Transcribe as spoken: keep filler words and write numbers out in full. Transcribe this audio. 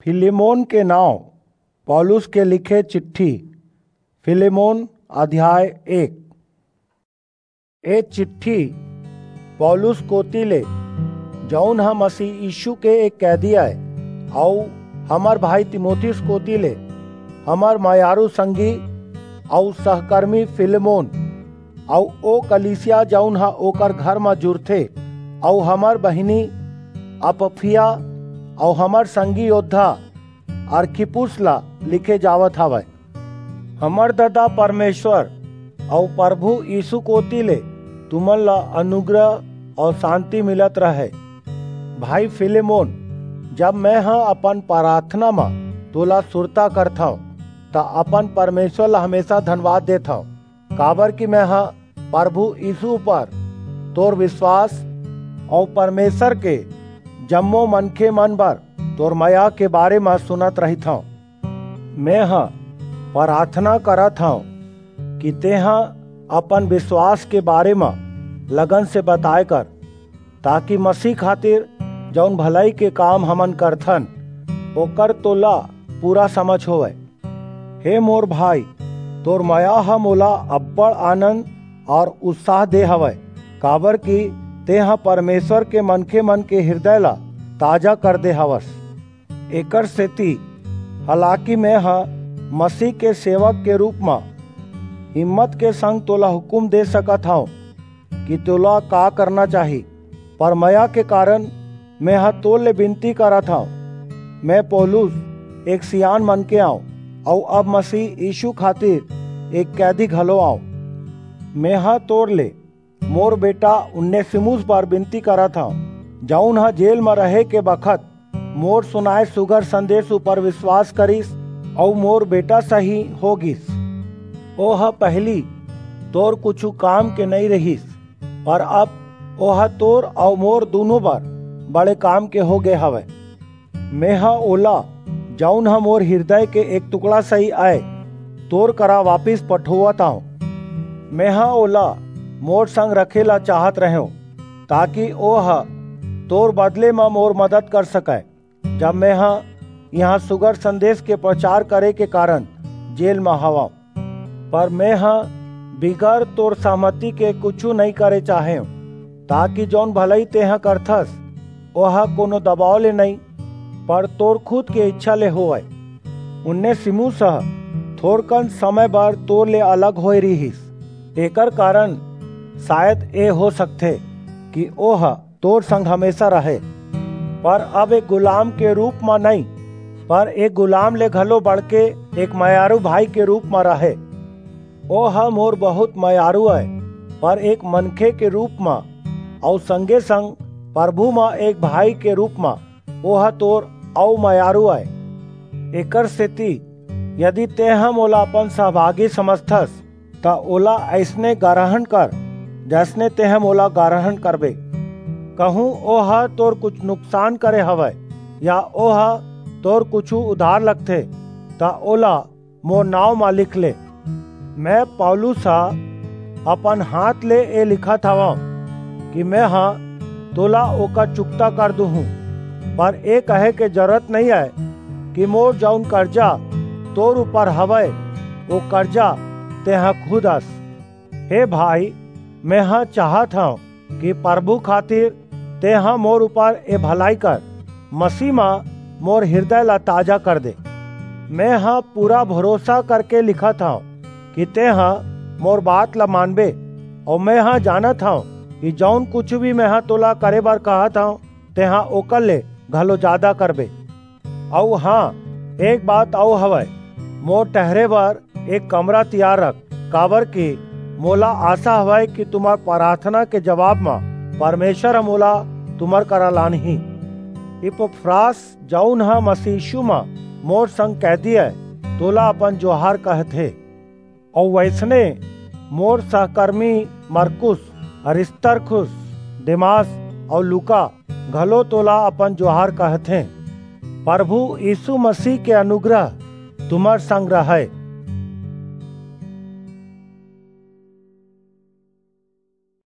Philemon के नांव। पौलुस के लिखे चिट्ठी। फिलेमोन, अध्याय एक। ए चिट्ठी पौलुस कोति ले, जऊन ह मसीह यीशु के एक कैदी अय, अऊ हमर भाई तीमुथियुस कोति ले, हमर मयारू संगी अऊ सहकर्मी फिलेमोन, अऊ ओ कलीसिया जऊन ह ओकर घर म जुरथे, अऊ हमर बहिनी अपफिया अऊ हमर संगी योद्धा अरखिप्पुस ला लिखे जावत हवय। हमर ददा परमेश्वर अऊ परभू यीसू कोति ले तुमन ला अनुग्रह अऊ सांति मिलत रहय। भाई फिलेमोन, जब मेंह अपन पराथना म तोला सुरता करथंव, त अपन परमेश्वर ला हमेसा धनवाद देथंव, काबरकि मेंह परभू यीसू ऊपर तोर बिसवास अऊ परमेश्वर के जम्मो मनखेमन बर तोर मया के बारे म सुनत रहिथंव। मेंह पराथना करत हंव कि तेंह अपन बिसवास के बारे म लगन से बताय कर, ताकि मसीह खातिर जऊन भलई के काम हमन करथन, ओकर तोला पूरा समझ होवय। हे मोर भाई, तोर मया ह मोला अब्बड़ आनंद अऊ उत्साह दे हवय, काबरकि तेंह परमेश्वर के मनखेमन के हिरदय ला ताजा कर दे हवस। एकरसेति, हालाकि मेंह मसीह के सेवक के रूप म हिम्मत के संग तोला हुकूम दे सकत हंव कि तोला का करना चाही, पर मया के कारन मेंह तोर ले बिनती करत हंव। में पौलुस एक सियान मनखे अंव, अऊ अब मसीह यीसू खातिर एक कैदी घलो अंव। मेंह तोर ले मोर बेटा उनेसिमुस बर बिनती करत हंव, जऊन ह जेल म रहे के बखत मोर सुनाय सुघर संदेस ऊपर बिसवास करिस अऊ मोर बेटा सहीं हो गीस। ओह पहिली तोर कुछू काम के नइं रिहिस, पर अब ओह तोर अऊ मोर दूनों बर बड़े काम के हो गे हवय। मेंह ओला, जऊन ह मोर हिरदय के एक टुकड़ा सहीं अय, तोर करा वापिस पठोवत अंव। मेंह ओला मोर संग रखे ला चाहत रहेंव, ताकि ओह तोर बदले म मोर मदद कर सकय, जब मेंह इहां सुघर संदेस के परचार करे के कारन जेल म हवंव। पर मेंह बिगर तोर सहमति के कुछू नइं करे चाहेंव, ताकि जऊन भलई तेंह करथस, ओह कोनो दबाव ले नइं, पर तोर खुद के ईछा ले होवय। उनेसिमुस ह थोरकन समय बर तोर ले अलग होय रिहिस, एकर कारन सायद ए हो सकथे कि ओह तोर संग हमेसा रहे, पर अब एक गुलाम के रूप म नइं, पर एक गुलाम ले घलो बढ़के एक मयारू भाई के रूप म रहे। ओह मोर बहुंत मयारू अय, पर एक मनखे के रूप म, अऊ संगे-संग परभू म एक भाई के रूप म ओह तोर अऊ मयारू अय। एकरसेति यदि तेंह मोला अपन सहभागी समझथस, त ओला अइसने गरहन कर, जइसने तेंह मोला गरहन करबे। कहूं ओह तोर कुछू नुकसान करे हवय, या ओह तोर कुछू उधार लगथे, त ओला मोर नांव म लिख ले। में पौलुस ह अपन हांथ ले ए लिखत हवंव कि मेंह तोला ओकर चुकता कर दूहूं, पर ए कहे के जरूरत नइं अय कि मोर जऊन करजा तोर ऊपर हवय, ओ करजा तेंह खुद अस। हे भाई, मेंह चाहत हंव कि परभू खातिर तेंह मोर ऊपर ए भलई कर, मसीह म मोर हिरदय ला ताजा कर दे। मेंह पूरा भरोसा करके लिखत हंव कि तेंह मोर बात ला मानबे, अऊ मेंह जानत हंव कि जऊन कुछू भी मेंह तोला करे बर कहत हंव, तेंह ओकर ले घलो जादा करबे। अऊ हां, एक बात अऊ हवय, मोर ठहरे बर एक कमरा तियार रख, काबरकि मोला आसा हवय कि तुम्हर पराथना के जबाब म परमेश्वर ह मोला तुम्हर करा लानही। इपफ्रास, जऊन ह मसीह यीसू म मोर संग कैदी अय, तोला अपन जोहार कहथे। अऊ वइसने मोर सहकरमी मरकुस, अरिस्तर्खुस, देमास अऊ लूका घलो तोला अपन जोहार कहथें। परभू यीसू मसीह के अनुग्रह तुम्हर संग रहय।